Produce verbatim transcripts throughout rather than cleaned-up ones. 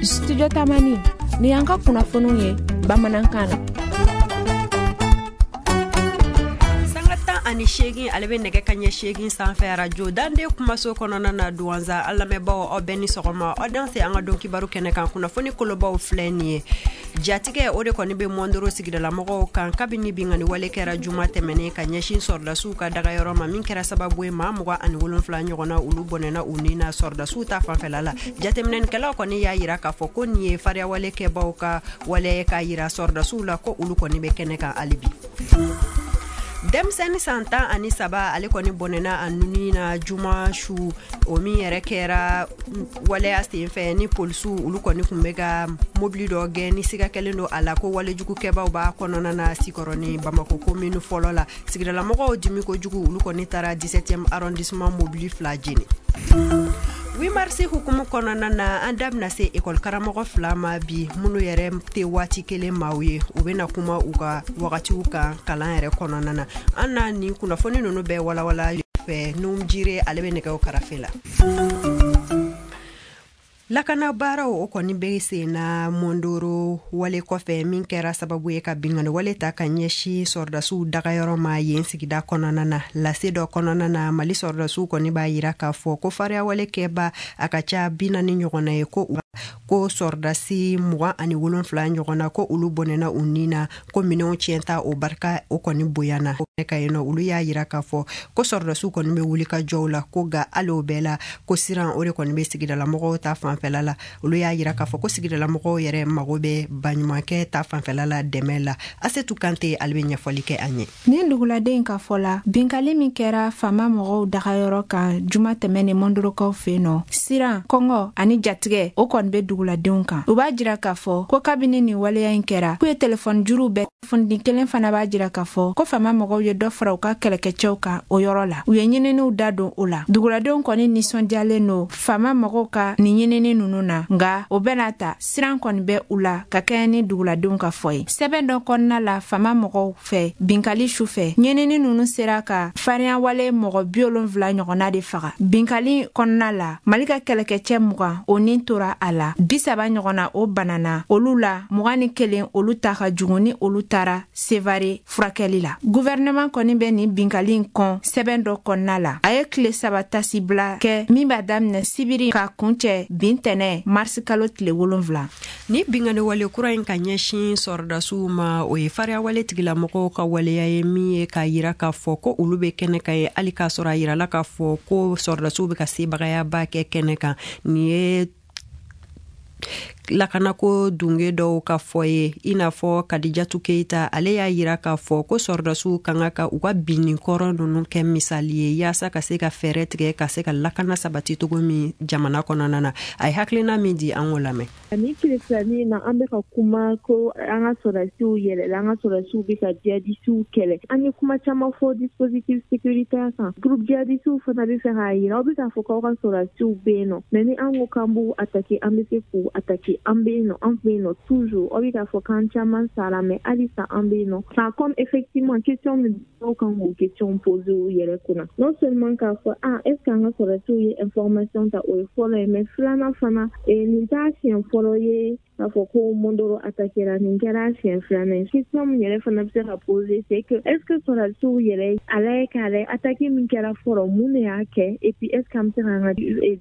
Studio Tamani, ni y'an ka kunnafoniw ye bamanankan na. Sanga tan ani seegin ale bɛ nɛgɛ ka ɲɛ seegin sanfɛ arajo Dande kumaso kɔnɔna na Duwanza. An lamɛnbaaw, aw bɛɛ ni sɔgɔma, aw danse an ka don kibaru kɛnɛ kan. Kunnafoni kolobaw filɛ nin ye. Jatigɛ o de kɔni bɛ Mɔndoro sigidalamɔgɔw kan kabini binkanni wale kɛra juma tɛmɛnen ka ɲɛsin sɔrɔdasiw ka dagayɔrɔ ma, min kɛra sababu ye maa mugan ani wolonfila ɲɔgɔnna olu bɔnɛna u ni na sɔrɔdasiw ta fanfɛla la. Jateminɛnikɛlaw kɔni y'a yira k'a fɔ ko nin ye fariyawale kɛbaw ka wale k'a yira sɔrɔdasiw la ko olu kɔni bɛ kɛnɛ kan hali bi. Denmisɛnnin san tan ani saba ale kɔni bɔnɛna a nuni na juma su, o min yɛrɛ kɛra waleya senfɛ ni polisiw olu kɔni tun bɛ ka mobili dɔ gɛn ni siga kɛlen don a la ko walejugukɛbaw b'a kɔnɔna na Sikɔrɔni, Bamako commune fɔlɔ la. Sigidalamɔgɔw dimi kojugu, olu kɔni taara dix-septième arrondissement mobili fila jeni. huit mars hukumu kɔnɔna na, an da bɛna se ekɔli karamɔgɔ fila ma bi, minnu yɛrɛ tɛ waati kelen maaw ye. U bɛna kuma u ka wagatiw kan kalan yɛrɛ kɔnɔna na. An na nin kunnafoni ninnu bɛɛ walawala fɛ. Num Jire ale bɛ nɛgɛw karafe la. Lakana baaraw o kɔni bɛ sen na Mondoro wale kɔfɛ, min kɛra sababu ye ka binkanni wale ta ka ɲɛsin sɔrɔdasiw dagayɔrɔ ma yen sigida kɔnɔna na. Lase dɔ kɔnɔna na, Mali sɔrɔdasiw kɔni b'a yira k'a fɔ ko fariya wale kɛba a ka ca bi naani ɲɔgɔnna ye, ko ko sɔrɔdasi mugan ani wolonfila ɲɔgɔnna ko olu bɔnɛna u ni na, ko minɛnw tiɲɛta o barika o kɔni bonyana ka yen nɔ. Olu y'a yira k'a fɔ ko sɔrɔdasiw kɔni bɛ wuli ka jɔw la, ko nka hali o bɛɛ la ko siran o de kɔni bɛ sigidalamɔgɔw ta fanfɛla la. Olu y'a yira k'a fɔ ko sigidalamɔgɔw yɛrɛ mago bɛ baɲumankɛ ta fanfɛla la dɛmɛ la. Asetu Kante ale bɛ ɲɛfɔli kɛ an ye. Nin duguladen ka fɔ la, binkali min kɛra faama mɔgɔw dagayɔrɔ kan juma tɛmɛnen Mondorokaw fɛ yen nɔ, siran, kɔngɔ ani jatigɛ o kɔni bɛ duguladenw kan. U b'a jira k'a fɔ ko kabini nin waleya in kɛra, k'u ye telefɔni juruw bɛɛ. Kunnafoni kelen fana b'a jira k'a fɔ ko faama mɔgɔw ye dɔ fara u ka kɛlɛkɛcɛw kan o yɔrɔ la. U ye ɲininiw da don o la. Duguladenw kɔni nisɔndiyalen don faama mɔgɔw ka nin ɲinini ninnu na, nka o bɛɛ n'a ta siran kɔni bɛ u la ka kɛɲɛ ni duguladenw ka fɔ ye. Sɛbɛn dɔ kɔnɔna la faama mɔgɔw fɛ binkali su fɛ, ɲinini ninnu sera ka farinya wale mɔgɔ bi wolonfila ɲɔgɔnna de faga. Binkali kɔnɔna la, Mali ka kɛlɛkɛcɛ mugan o nin tora a la, bi saba ɲɔgɔnna o banana, olu la mugan ni kelen olu ta ka jugu ni olu taara Sevare furakɛli la. Gouvernement kɔni bɛ nin binkali in kɔn sɛbɛn dɔ kɔnɔna la. A ye tile saba tasibila kɛ min b'a daminɛ sibiri ka kuncɛ bin tɛnɛ marisi kalo tile wolonfila. Ni binkanni wale kura in ka ɲɛsin sɔrɔdasiw ma, o ye fariya wale tigilamɔgɔw ka waleya ye min ye k'a yira k'a fɔ ko olu bɛ kɛnɛ kan ye, hali k'a sɔrɔ a yirala k'a fɔ ko sɔrɔdasiw bɛ ka sebagayaba kɛ kɛnɛ kan. Nin ye lakanako dunge dɔw ka fɔ ye, i n'a fɔ Kadijatu Keyita ale y'a yira k'a fɔ ko sɔrɔdasiw kan ka u ka binni kɔrɔ ninnu kɛ misali ye yaasa ka se ka fɛɛrɛ tigɛ ka se ka lakana sabati cogo min jamana kɔnɔna na. A ye hakilina min di, an k'o lamɛn. Ni tile filanin na, an bɛ ka kuma ko an ka sɔrɔdasiw yɛlɛla, an ka sɔrɔdasiw bɛ ka jihadisiw kɛlɛ. An ye kuma caman fɔ dispositif sécuritaire kan. Groupe jihadisiw fana bɛ fɛ k'a yira aw bɛ k'a fɔ k'aw ka sɔrɔdasiw bɛ yen nɔ, mais ni an ko k'an b'u attaquer, an bɛ se k'u attaquer. An bɛ yen nɔ, an bɛ yen nɔ toujours. Aw bɛ k'a fɔ k'an caman sara, mais halisa an bɛ yen nɔ. Enfin, comme effectivement question min dɔw kan k'o question poser u yɛrɛ kunna, non seulement k'a fɔ ah, est ce que an ka sɔrɔdasiw ye information ta, o ye fɔlɔ ye, mais filanan fana, nin t'a siɲɛ fɔlɔ ye k'a fɔ ko Mondoro attaquera, nin kɛra siɲɛ filanan ye. Question min yɛrɛ fana bɛ se ka poser, c'est que est ce que sɔrɔdasiw yɛrɛ a lajɛ k'a lajɛ attaque min kɛra fɔlɔ, mun de y'a kɛ, et puis est ce que an bɛ se k'an ka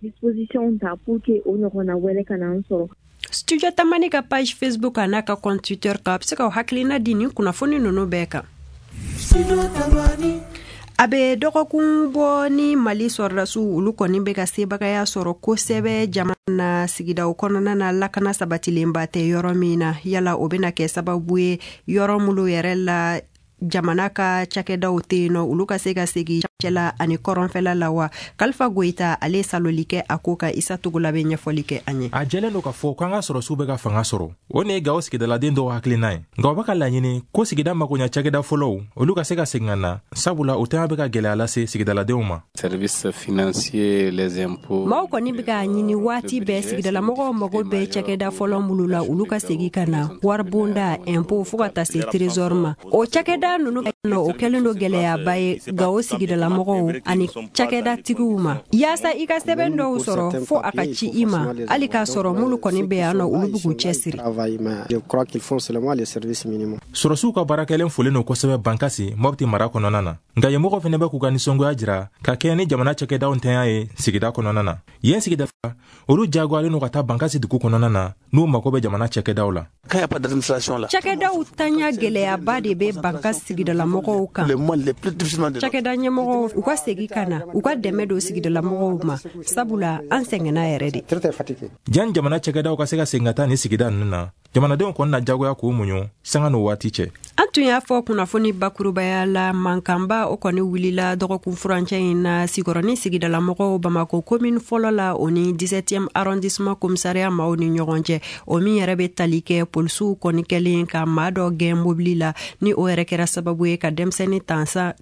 disposition ta pour que o ɲɔgɔnna wɛrɛ kana an sɔrɔ. Studio Tamani ka page Facebook a n'a ka compte Twitter kan, a bɛ se k'aw hakilina di nin kunnafoni ninnu bɛɛ kan. A bɛ dɔgɔkun bɔ ni Mali sɔrɔdasiw olu kɔni bɛ ka sebagaya sɔrɔ kosɛbɛ jamana na sigidaw kɔnɔna na, lakana sabatilenba tɛ yɔrɔ min na. Yala o bɛna kɛ sababu ye yɔrɔ minnu yɛrɛ la jamana ka cakɛdaw tɛ yen nɔ, olu ka se ka segin cɛla ani kɔrɔnfɛla la wa? Kalifa Goyita ale saloli kɛ a ko ka, Isa Togola bɛ ɲɛfɔli kɛ an ye. A jɛlen don k'a fɔ k'an ka sɔrɔsiw bɛ ka fanga sɔrɔ, o ne ye Gawo sigidaladen dɔw hakilina ye, nka u bɛ ka laɲini ko sigida makoɲa cakɛda fɔlɔw olu ka se ka segin ka na, sabula o tɛna bɛ ka gwɛlɛya lase sigidaladenw ma. Services financiers, les impôts. Maaw kɔni bɛ k'a ɲini waati bɛɛ, sigidalamɔgɔw mago bɛ cakɛda fɔlɔ minnu la, olu ka segin ka na, waribonda, impôt, fo ka taa se trésor ma. O cakɛda ninnu nɔ, o kɛlen don gɛlɛyaba ye Gawo sigidalamɔgɔw ani cakɛdatigiw ma. Yaasa i ka sɛbɛn dɔw sɔrɔ, fo a ka ci i ma. Hali k'a sɔrɔ minnu kɔni bɛ yan nɔ, olu bɛ k'u cɛsiri. Sɔrɔsiw ka baarakɛlen folen don kosɛbɛ Bankasi, Mɔpti mara kɔnɔna na. Nka yen mɔgɔw fɛnɛ bɛ k'u ka nisɔngoya jira ka kɛɲɛ ni jamana cakɛdaw ntanya ye sigida kɔnɔna na. Yen sigida, olu jagoyalen don ka taa Bankasi dugu kɔnɔna na n'u mago bɛ jamana cakɛdaw la. Cakɛdaw tanya gɛlɛyaba de bɛ Bankasi sigidalamɔgɔw kan. Cakɛda ɲɛmɔgɔw, u ka segin ka na, u ka dɛmɛ don sigidalamɔgɔw ma, sabula an sɛgɛnna yɛrɛ de. Jan jamana cakɛdaw ka se ka segin ka taa nin sigida ninnu na, jamanadenw kɔni na jagoya k'u muɲu sanga n'o waati cɛ. An tun y'a fɔ kunnafoni bakurubaya la, mankanba o kɔni wulila dɔgɔkun furancɛ in na Sikɔrɔni sigidalamɔgɔw Bamako commune fɔlɔ la, o ni dix-septième arrondissement commissariat maaw ni ɲɔgɔn cɛ, o min yɛrɛ bɛ tali kɛ polisiw kɔni kɛlen ka maa dɔ gɛn mobili la, ni o yɛrɛ kɛra sababu ye ka denmisɛnnin tan san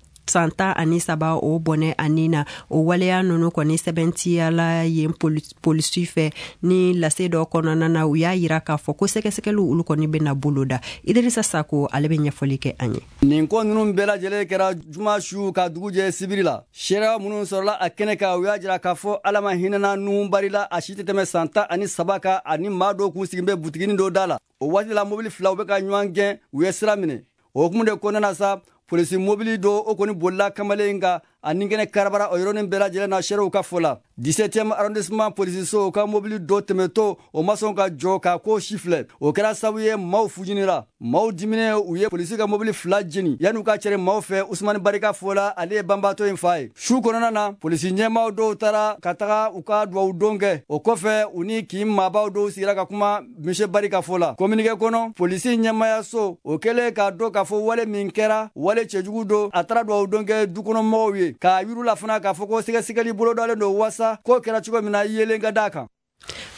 tan ani saba o bɔnɛ ani na. O waleya ninnu kɔni sɛbɛntiyala yen polisi fɛ ni lase dɔ kɔnɔna na. U y'a yira k'a fɔ ko sɛgɛsɛgɛliw olu kɔni bɛna boloda. Idirisa Sako, ale bɛ ɲɛfɔli kɛ an ye. Nin ko ninnu bɛɛ lajɛlen kɛra juma su ka dugu jɛ sibiri la. Seereya minnu sɔrɔla a kɛnɛ kan, u y'a jira k'a fɔ Ala ma hinɛna Nuhu Bari la, a si tɛ tɛmɛ san tan ani saba kan, ani maa dɔw k'u sigilen bɛ butiginin dɔ da la. O waati la, mobili fila u bɛ ka ɲɔgɔn gɛn, u ye sira minɛ. O hukumu de kɔnɔna na sa, polisi mobili dɔ o kɔni bolila kamalen in kan ani kɛnɛ karabara o yɔrɔnin bɛɛ lajɛlen na, seerew ka fɔ la. dix-septième arrondissement polisiso ka mobili dɔ tɛmɛtɔ, o ma sɔn ka jɔ k'a ko si filɛ. O kɛra sababu ye maaw fujinira, maaw diminen, u ye polisi ka mobili fila jeni yan'u ka cɛri maaw fɛ. Usumani Barika fɔ la, ale ye banbaatɔ in fa ye. Su kɔnɔna na, polisi ɲɛmaaw dɔw taara ka taga u ka duwawu don kɛ. O kɔfɛ, u ni kin maabaw dɔw sigira ka kuma, monsieur Barika fɔ la. Communiqué kɔnɔ, polisi ɲɛmaayaso o kɛlen k'a dɔn k'a fɔ wale min kɛra wale cɛjugu don, a taara duwawu don kɛ dukɔnɔmɔgɔw ye, k'a yir'u la fana k'a fɔ ko sɛgɛsɛgɛli bolodalen don wasa ko kɛra cogo min na yelen ka d'a kan.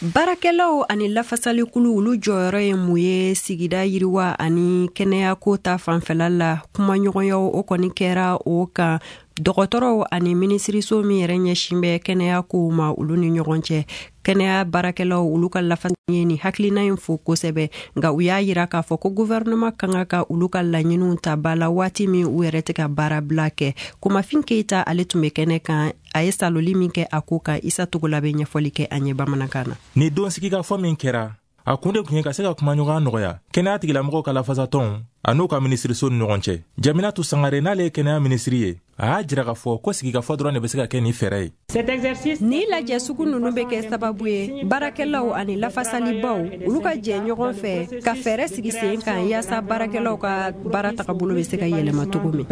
Baarakɛlaw ani lafasalikulu, olu jɔyɔrɔ ye mun ye sigida yiriwa ani kɛnɛyako ta fanfɛla la? Kumaɲɔgɔnyaw o kɔni kɛra o kan dɔgɔtɔrɔw ani minisiriso min yɛrɛ ɲɛsin bɛ kɛnɛya kow ma, olu ni ɲɔgɔn cɛ. Kɛnɛya baarakɛlaw, olu ka lafasali ye nin hakilina in fo kosɛbɛ, nka u y'a yira k'a fɔ ko gouvernement kan ka ka olu ka laɲiniw ta ba la waati min u yɛrɛ tɛ ka baarabila kɛ. Komafin Keyita, ale tun bɛ kɛnɛ kan, a ye saloli min kɛ a ko kan. Isa Togola bɛ ɲɛfɔli kɛ an ye bamanankan na. Ni don sigikafɔ min kɛra, a kun de tun ye ka se ka kumaɲɔgɔnya nɔgɔya kɛnɛya tigilamɔgɔw ka lafasatɔnw a n'u ka minisiriso ni ɲɔgɔn cɛ. Jaminatu Sangare, n'ale ye kɛnɛya minisiri ye, a y'a jira k'a fɔ ko sigikafɔ dɔrɔn de bɛ se ka kɛ nin fɛɛrɛ ye. Ni lajɛ sugu ninnu bɛ kɛ sababu ye baarakɛlaw ani lafasalibaw, olu ka jɛ ɲɔgɔn fɛ ka fɛɛrɛ sigi sen kan yaasa baarakɛlaw ka baara tagabolo bɛ se ka yɛlɛma cogo min.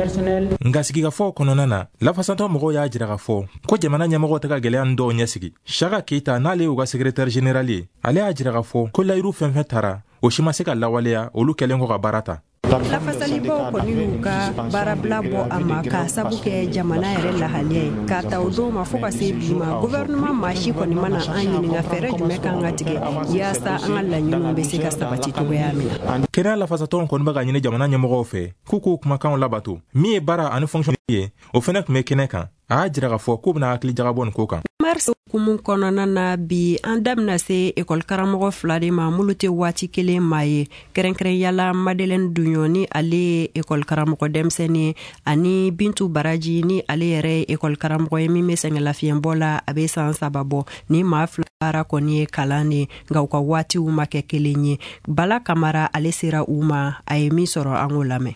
Nka sigikafɔw kɔnɔna na, lafasatɔn mɔgɔw y'a jira k'a fɔ ko jamana ɲɛmɔgɔw tɛ ka gɛlɛya nin dɔw ɲɛsigi. Saka Keyita, n'ale y'u ka secrétaire général ye, ale y'a jira k'a fɔ ko layiru fɛn fɛn tara, o si ma se ka lawaleya olu kɛlen kɔ ka baara ta. Lafasalibaw kɔni y'u ka baarabila bɔ a ma k'a sabu kɛ jamana yɛrɛ lahaliya ye. K'a ta o don ma fo ka se bi ma, gouvernement maa si kɔni mana an ɲininka fɛɛrɛ jumɛn kan ka tigɛ yaasa an ka laɲiniw bɛ se ka sabati cogoya min na. Kɛnɛya lafasatɔnw kɔni bɛ ka ɲini jamana ɲɛmɔgɔw fɛ k'u k'u kumakanw labato. Min ye baara ani fonction ye, o fɛnɛ tun bɛ kɛnɛ kan. A y'a jira k'a fɔ k'u bɛna hakili jagabɔ nin ko kan. Mars hukumu kɔnɔna na, bi an da bɛna se ekɔli karamɔgɔ fila de ma minnu tɛ waati kelen maa ye, kɛrɛnkɛrɛnyala Madeleine Dunɲɔ, ni ale ye ekɔli karamɔgɔ denmisɛnnin ye, ani Bintu Baraji, ni ale yɛrɛ ye ekɔli karamɔgɔ ye min bɛ sɛgɛnlafiɲɛbɔ la, a bɛ san saba bɔ. Ni maa fila baara kɔni ye kalan de ye, nka u ka waatiw ma kɛ kelen ye. Bala Kamara, ale sera u ma, a ye min sɔrɔ, an k'o lamɛn.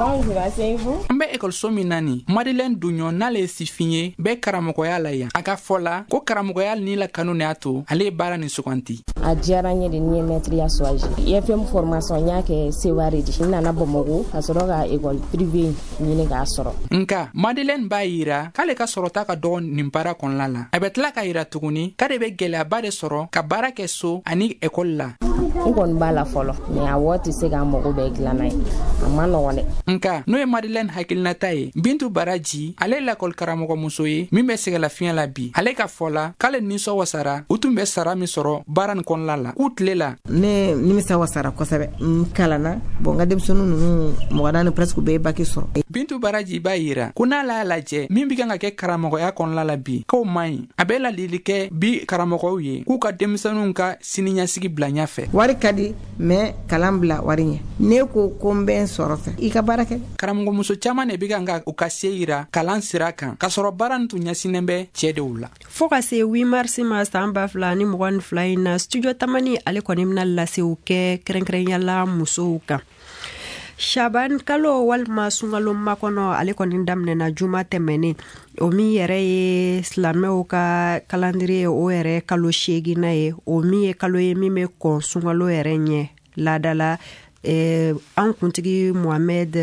An bɛ ekɔliso min na nin, Madeleine Dunɲɔ, n'ale ye sifin ye, bɛ karamɔgɔya la yan. A ka fɔ la ko karamɔgɔya ni la kanu de y'a to ale ye baara nin suganti. A diyara n ye de ni ye mɛtiriya choisi. I F M formation n y'a kɛ Seware de. N nana Bamakɔ ka sɔrɔ ka école privée ɲini k'a sɔrɔ. Nka Madeleine b'a yira k'ale ka sɔrɔta ka dɔgɔ nin baara kɔnɔna la. A bɛ tila k'a yira tuguni k'ale bɛ gɛlɛyaba de sɔrɔ ka baara kɛ so ani ekɔli la. N kɔni b'a la fɔlɔ, mais a wari tɛ se k'an mago bɛɛ dilan n'a ye. A ma nɔgɔn dɛ. Nka n'o ye Madeleine hakilinata ye, Bintu Baraji, ale ye lakɔli karamɔgɔmuso ye min bɛ sɛgɛlafiɲɛ la bi. Ale ka fɔ la k'ale nisɔn wasara u tun bɛ sara min sɔrɔ baara nin kɔnɔna kɔnɔla la k'u tile la. Ne nimisa wasara kosɛbɛ, n kalanna bon n ka denmisɛnnin ninnu mɔgɔ naani presque bɛɛ ye baki sɔrɔ. Bintu Baraji b'a yira ko n'ale y'a lajɛ min bɛ kan ka kɛ karamɔgɔya kɔnɔla la bi k'o man ɲi. A bɛ ladili kɛ bi karamɔgɔw ye k'u ka denmisɛnninw ka siniɲɛsigi bila ɲɛfɛ. Wari ka di mais kalan bila wari ɲɛ, ne ko ko n bɛ n sɔrɔ fɛ i ka baara kɛ. Karamɔgɔmuso caman de bɛ kan ka u ka se yira kalan sira kan k'a sɔrɔ baara nin tun ɲɛsinnen bɛ cɛ dew la. Fo ka se huit mars ma san ba fila ni mugan ni fila in na, studio Tamani ale kɔni bɛna lasew kɛ kɛrɛnkɛrɛnya la musow kan. Shaban kalo walima sunkalo makɔnɔ ale kɔni daminɛna juma tɛmɛnen, o min yɛrɛ ye silamɛw ka calendrier ye, o yɛrɛ kalo seeginna ye, o min ye kalo ye min bɛ kɔn sunkalo yɛrɛ ɲɛ. Laadala eh, an kuntigi Mohamed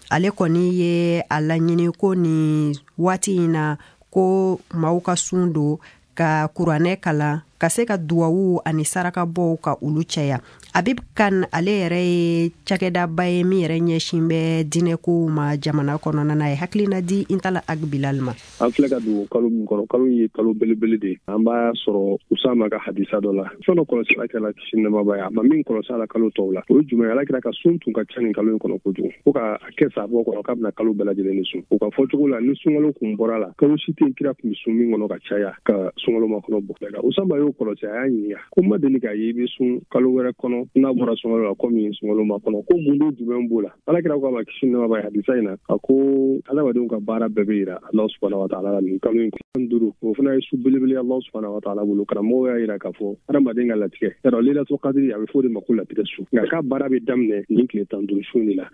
ale kɔni ye a laɲini ko nin waati in na ko maaw ka sun don ka kuranɛ kalan ka se ka duwawu ani sarakabɔw ka olu caya. Habib Kane ale yɛrɛ ye cakɛdaba ye min yɛrɛ ɲɛsin bɛ diinɛkow ma jamana kɔnɔna na, ye hakilina di Intala Ag Bilal ma. An filɛ ka don kalo min kɔnɔ, kalo ye kalo belebele de ye. An b'a sɔrɔ Usama ka hadisa dɔ la, fɛn dɔ kɔlɔsi Ala kira la kisi nɛɛma b'a ye, a ma min kɔlɔsi a la kalo tɔw la, o ye jumɛn ye? Ala kira ka sun tun ka ca nin kalo in kɔnɔ kojugu, fo ka kɛ sabɔ kɔnɔ k'a bɛna kalo bɛɛ lajɛlen de sun. O ka fɔcogo la, ni sunkalo kun bɔra la, kalo si tɛ kira kun bɛ sun min kɔnɔ ka caya ka sunkalo makɔnɔ bɔ. Usama y'o kɔlɔsi, a y'a ɲininka ko ma deli k'a ye i bɛ sun kalo wɛrɛ kɔnɔ n'a bɔra sunkalo la komi sunkalo ma kɔnɔ, ko mun don jumɛn b'o la? Ala kira ko a ma kisi nɛɛma b'a ye hadisa in na, a ko adamadenw ka baara bɛɛ bɛ yira Alahu subahana wa taala la nin kalo in kɔnɔ duuru, o fana ye su belebele Alahu subahana wa taala bolo. Karamɔgɔw y'a yira k'a fɔ adamaden ka latigɛ yarɔ Laylatul Qadri a bɛ fɔ o de ma ko latigɛ su, nka k'a baara bɛ daminɛ nin tile tan duuru su de la.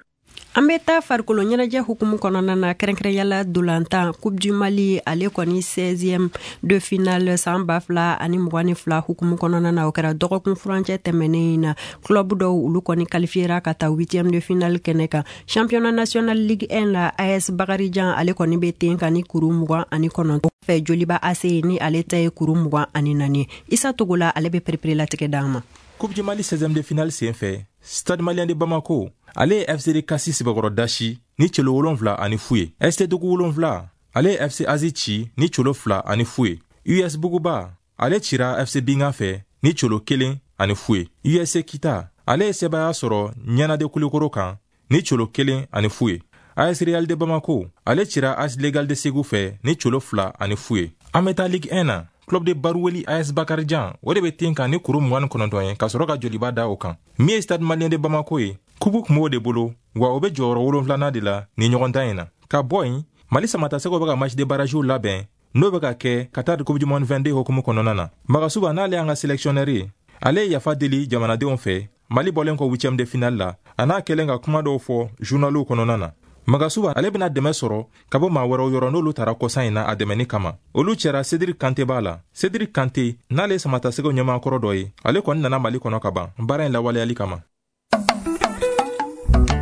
An bɛ taa farikolo ɲɛnajɛ hukumu kɔnɔna na, kɛrɛnkɛrɛnyala dolantan Coupe du Mali ale kɔni seizième de finale san ba fila ani mugan ni fila hukumu kɔnɔna na, o kɛra dɔgɔkun furancɛ tɛmɛnen in na. Club dɔw olu kɔni qualifiera ka taa huitième de finale kɛnɛ kan. Championnat national Ligue un la, A S Bakarijan ale kɔni bɛ ten kan ni kuru mugan ani kɔnɔntɔn fɛ, Joliba A C ni ale ta ye kuru mugan ani naani. Isa Togola ale bɛ pereperelatigɛ d'an ma. Coupe du Mali seizième de finale senfɛ, Stade Malien de Bamako ale ye F C D Kasi sɛbɛkɔrɔ dasi ni celo wolonfila ani fu ye. S T Dugu wolonfila ale ye F C Azi ci ni celo fila ani fu ye. U S Buguba ale cira F C Binga fɛ ni celo kelen ani fu ye. U S C Kita ale ye sebaaya sɔrɔ Ɲanade Kulikoro kan ni celo kelen ani fu ye. A S Real de Bamako ale cira A S Legal de Segu fɛ ni celo fila ani fu ye. An bɛ taa Ligue un na, Club de Baroueli A S Bakarijan o de bɛ ten kan ni kuru mugan ni kɔnɔntɔn ye ka sɔrɔ ka Joliba da o kan. Min ye Stade Malien de Bamako ye, kupu kun b'o de bolo, wa o bɛ jɔyɔrɔ wolonfilanan de la ni ɲɔgɔndan in na. Ka bɔ yen, Mali samatasɛgɛw bɛ ka match de barrage labɛn n'o bɛ ka kɛ ka taa Coupe du Monde vingt-deux hukumu kɔnɔna na. Magasuba n'ale y'an ka sélectionneur ye, ale ye yafa deli jamanadenw fɛ Mali bɔlen kɔ huitième de finale la, a n'a kɛlen ka kuma dɔw fɔ journaliw kɔnɔna na. Magasuba ale bɛna dɛmɛ sɔrɔ ka bɔ maa wɛrɛw yɔrɔ n'olu taara kɔsan in na a dɛmɛni kama. Olu cɛra Cédric Kanté b'a la. Cédric Kanté n'ale ye samatasɛgɛw ɲɛmaakɔrɔ dɔ ye, ale kɔni nana Mali kɔnɔ ka ban baara in lawaleyali kama.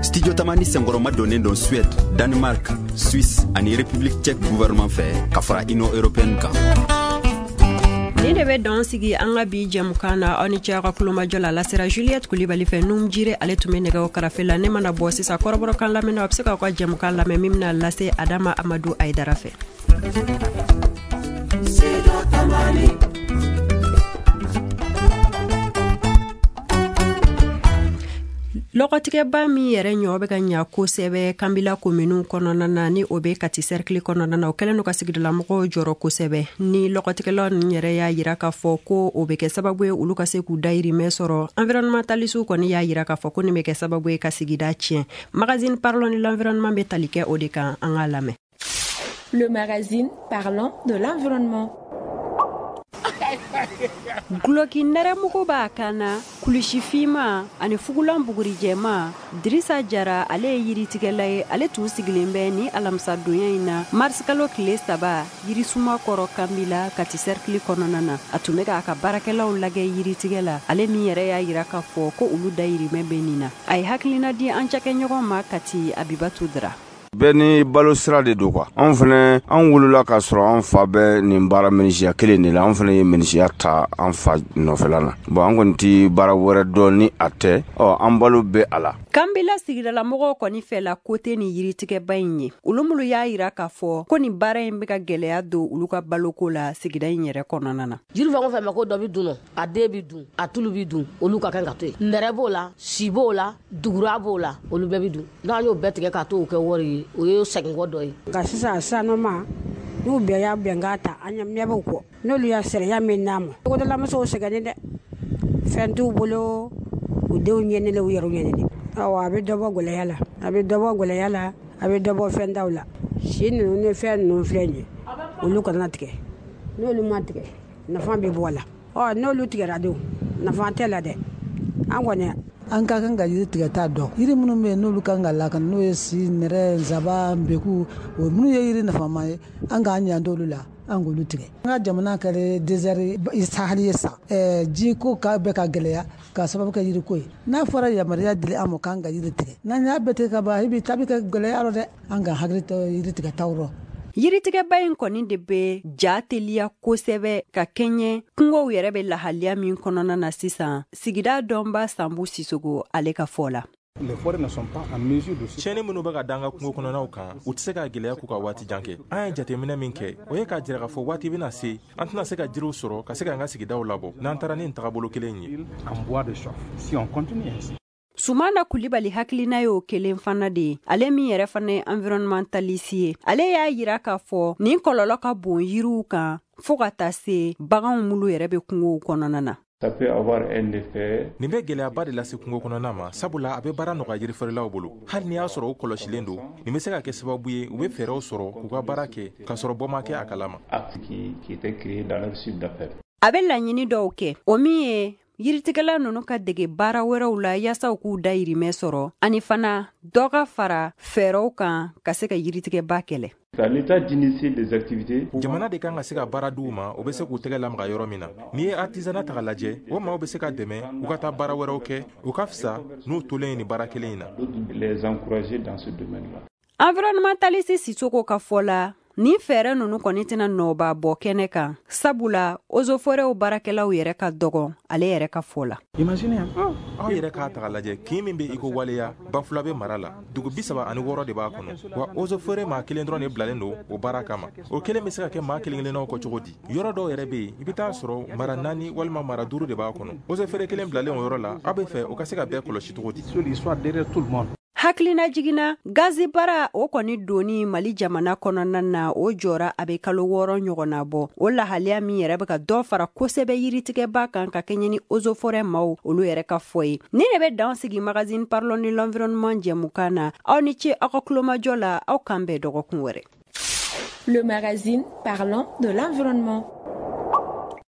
Studio Tamani senkɔrɔma donnen don Suède, Danemark, Suisse ani République tchèque gouvernement fɛ ka fara Union européenne kan. Ni de bɛ dan sigi an ka bi jɛmukan na, aw ni ce aw ka kulomajɔ la. Lasera Juliette Kulibali fɛ, Num Jire ale tun bɛ nɛgɛw karafe la. Ne mana bɔ sisan kɔrɔbɔrɔkan lamɛnna, a bɛ se k'aw ka jɛmukan lamɛn min bɛna lase Adama Amadu Ayidara fɛ. Lɔgɔtigɛba min yɛrɛ ɲɔ bɛ ka ɲa kosɛbɛ Kanbila kominiw kɔnɔna na, ni o bɛ Kati cercle kɔnɔna na, o kɛlen don ka sigidalamɔgɔw jɔrɔ kosɛbɛ. Ni lɔgɔtigɛlaw ninnu yɛrɛ y'a yira k'a fɔ ko o bɛ kɛ sababu ye olu ka se k'u dayirimɛ sɔrɔ. Environnementaliste kɔni y'a yira k'a fɔ ko nin bɛ kɛ sababu ye ka sigida tiɲɛ. Magazine Parlons de l'environnement bɛ tali kɛ o de kan, an k'a lamɛn. Le magazine Parlons de l'environnement. Guloki nɛrɛmugu b'a kan na, kulusi finman ani fugulan bugurijɛman. Dirisa Jara ale ye yiritigɛla ye, ale tun sigilen bɛ ni alamisadonya in na marisikalo tile saba yirisuma kɔrɔ Kanbila Kati cercle kɔnɔna na. A tun bɛ k'a ka baarakɛlaw lajɛ yiritigɛ la, ale min yɛrɛ y'a yira k'a fɔ ko olu dayirimɛ bɛ nin na. A ye hakilina di an cakɛɲɔgɔn ma Kati Abibatu Dra. Bɛɛ ni balo sira de don quoi. Anw fana, an wolola k'a sɔrɔ an fa bɛ nin baara menuisier kelen de la. An fana ye menuisier ta an fa nɔfɛla la. Bon, an kɔni ti baara wɛrɛ dɔn ni a tɛ. Ɔ, an balo bɛ a la. Kanbela sigidalamɔgɔw kɔni fɛla ko tɛ nin yiritigɛba in ye. Olu minnu y'a yira k'a fɔ ko nin baara in bɛ ka gɛlɛya don olu ka baloko la sigida in yɛrɛ kɔnɔna na. Jiri fɛn o fɛn ma ko dɔ bɛ dun, a den bɛ dun, a tulu bɛ dun, olu ka kan ka to yen. Nɛrɛ b'o la, si b'o la, dugura b'o la, olu bɛɛ bɛ dun. N'an y'o bɛɛ tigɛ k'a to kɛ wari ye, o ye seginkɔ dɔ ye. Nka sisan sanuma n'u bɛɛ y'a bɛnkan ta, an ɲɛ b'u kɔ. N'olu y'a sariya min d'a ma, togodalamusow sɛgɛnnen dɛ, fɛn t'u bolo, u denw ɲɛnelen, u yɛrɛw ɲɛnelen. Awɔ, a bɛ dɔ bɔ gɛlɛya la, a bɛ dɔ bɔ gɛlɛya la, a bɛ dɔ bɔ fɛndaw la. Si ninnu ni fɛn ninnu filɛ nin ye, olu kana tigɛ. N'olu ma tigɛ, nafa bɛ bɔ a la. Ɔ, n'olu tigɛra dun, nafa tɛ la dɛ. An kɔni an ka kan ka yiri tigɛta dɔn. Yiri minnu bɛ yen n'olu kan ka lakana, n'o ye si, nɛrɛ, nsaban, nbeku, o minnu ye yiri nafama ye, an k'an janto olu la, an k'olu tigɛ. An ka jamana kɛra désert sahali ye sa. Ɛɛ ji ko ka bɛ ka gɛlɛya k'a sababu kɛ yiriko ye. N'a fɔra yamaruya dili an ma k'an ka yiri tigɛ, n'an y'a bɛɛ tigɛ ka ban, i bɛ ta bɛ kɛ gɛlɛya rɔ dɛ. An ka hakili to yiri tigɛtaw rɔ. Yiritigɛba in kɔni de bɛ ja teliya kosɛbɛ ka kɛɲɛ kungow yɛrɛ bɛ lahaliya min kɔnɔna na sisan. Sigida dɔnba Sanbu Sisogo ale ka fɔ la. Tiɲɛni minnu bɛ ka da an ka kungo kɔnɔnaw kan, u tɛ se ka gɛlɛya k'u ka waati jan kɛ. An ye jateminɛ min kɛ, o ye k'a jira k'a fɔ waati bɛna se, an tɛna se ka jiriw sɔrɔ ka se k'an ka sigidaw labɔ n'an taara ni nin tagabolo kelen ye. Sumana Kulibali hakilina y'o kelen fana de ye. Ale min yɛrɛ fana ye environnementaliste ye, ale y'a yira k'a fɔ nin kɔlɔlɔ ka bon yiriw kan fo ka taa se baganw minnu yɛrɛ bɛ kungow kɔnɔna na. Nin bɛ gɛlɛyaba de lase kungo kɔnɔna ma, sabula a bɛ baara nɔgɔya jirifeerelaw bolo. Hali n'i y'a sɔrɔ u kɔlɔsilen don, nin bɛ se ka kɛ sababu ye u bɛ fɛɛrɛw sɔrɔ k'u ka baara kɛ k'a sɔrɔ bɔ ma kɛ a kalama. A bɛ laɲini dɔw kɛ, o min ye yiritigɛla ninnu ka dege baara wɛrɛw la yaasa u k'u dayirimɛ sɔrɔ, ani fana dɔ ka fara fɛɛrɛw kan ka se ka yiritigɛba kɛlɛ. Jamana de kan ka se ka baara d'u ma, u bɛ se k'u tɛgɛ lamaga yɔrɔ min na. N'i ye artisanat ta k'a lajɛ, o maaw bɛ se ka dɛmɛ u ka taa baara wɛrɛw kɛ, u ka fisa n'u tolen ye nin baara kelen in na. Environnementaliste Sisoko ka fɔ la, nin fɛɛrɛ ninnu kɔni tɛna nɔba bɔ kɛnɛ kan, sabula ozoforɛw baarakɛlaw yɛrɛ ka dɔgɔn ale yɛrɛ ka fɔ la. Aw yɛrɛ k'a ta k'a lajɛ, kin min bɛ iko waleya Bafulabe mara la, dugu bi saba ani wɔɔrɔ de b'a kɔnɔ. Wa ozofore maa kelen dɔrɔn de bilalen don o baara kama. O kelen bɛ se ka kɛ maa kelen kelennaw kɔ cogo di? Yɔrɔ dɔw yɛrɛ bɛ yen, i bɛ taa sɔrɔ mara naani walima mara duuru de b'a kɔnɔ. Ozofere kelen bilalen o yɔrɔ la, aw bɛ fɛ o ka se ka bɛɛ kɔlɔsi cogo di? Hakilina jiginna gazi baara o kɔni donni Mali jamana kɔnɔna na, o jɔra a bɛ kalo wɔɔrɔ ɲɔgɔnna bɔ. O lahaliya min yɛrɛ bɛ ka dɔ fara kosɛbɛ yiritigɛba kan ka kɛɲɛ ni ozofɔrɛ maaw olu yɛrɛ ka fɔ ye. Ni de bɛ dan sigi magazine Parlons de l'environnement jɛmukan na. Aw ni ce aw ka kulomajɔ la, aw kan bɛn dɔgɔkun wɛrɛ. Le magazine Parlons de l'environnement.